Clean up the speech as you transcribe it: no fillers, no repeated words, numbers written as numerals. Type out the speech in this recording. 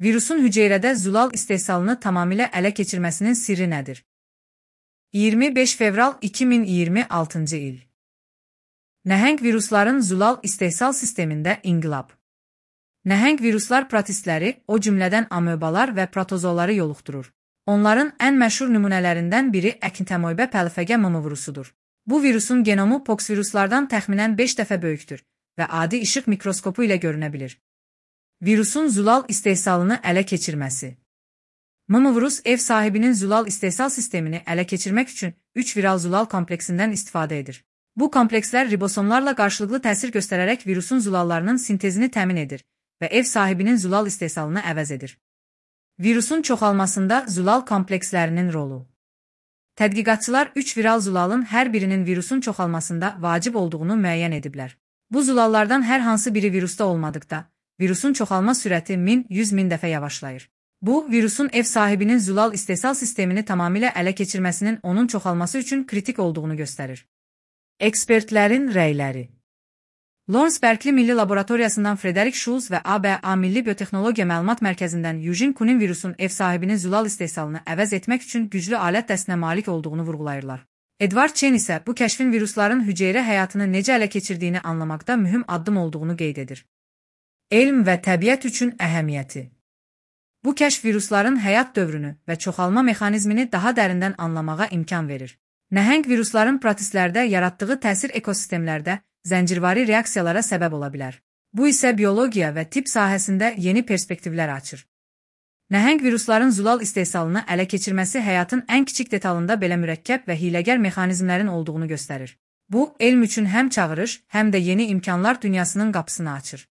Virusun hüceyrədə zulal istehsalını tamamilə ələ keçirməsinin sirri nədir? 25 fevral 2026 il. Nəhəng virusların zulal istehsal sistemində inqilab. Nəhəng viruslar protistləri, o cümlədən amöbalar və protozoları yoluxdurur. Onların ən məşhur nümunələrindən biri əkintamoeba pəlfəgə virusudur. Bu virusun genomu poksviruslardan təxminən 5 dəfə böyükdür və adi işıq mikroskopu ilə görünə bilir. Virusun zulal istehsalını ələ keçirməsi. Virus ev sahibinin zulal istehsal sistemini ələ keçirmək üçün 3 viral zulal kompleksindən istifadə edir. Bu komplekslər ribosomlarla qarşılıqlı təsir göstərərək virusun zulallarının sintezini təmin edir və ev sahibinin zulal istehsalını əvəz edir. Virusun çoxalmasında zulal komplekslərinin rolu. Tədqiqatçılar 3 viral zulalın hər birinin virusun çoxalmasında vacib olduğunu müəyyən ediblər. Bu zulallardan hər hansı biri virusda olmadıqda, virusun çoxalma sürəti 1000-100 dəfə yavaşlayır. Bu, virusun ev sahibinin zulal istehsal sistemini tamamilə ələ keçirməsinin onun çoxalması üçün kritik olduğunu göstərir. Ekspertlərin rəyləri. Lawrence Berkeley Milli Laboratoriyasından Frederick Schulz və ABA Milli Biotexnologiya Məlumat Mərkəzindən Eugene Kunin virusun ev sahibinin zulal istehsalını əvəz etmək üçün güclü alət dəstinə malik olduğunu vurğulayırlar. Edward Chen isə bu kəşfin virusların hüceyrə həyatını necə ələ keçirdiyini anlamaqda mühüm addım olduğunu qeyd edir. Elm və təbiət üçün əhəmiyyəti. Bu kəşf virusların həyat dövrünü və çoxalma mexanizmini daha dərindən anlamağa imkan verir. Nəhəng virusların protistlərdə yaratdığı təsir ekosistemlərdə zəncirvari reaksiyalara səbəb ola bilər. Bu isə biologiya və tibb sahəsində yeni perspektivlər açır. Nəhəng virusların zulal istehsalını ələ keçirməsi həyatın ən kiçik detalında belə mürəkkəb və hiyləgər mexanizmlərin olduğunu göstərir. Bu, elm üçün həm çağırış, həm də yeni imkanlar dünyasının qapısını açır.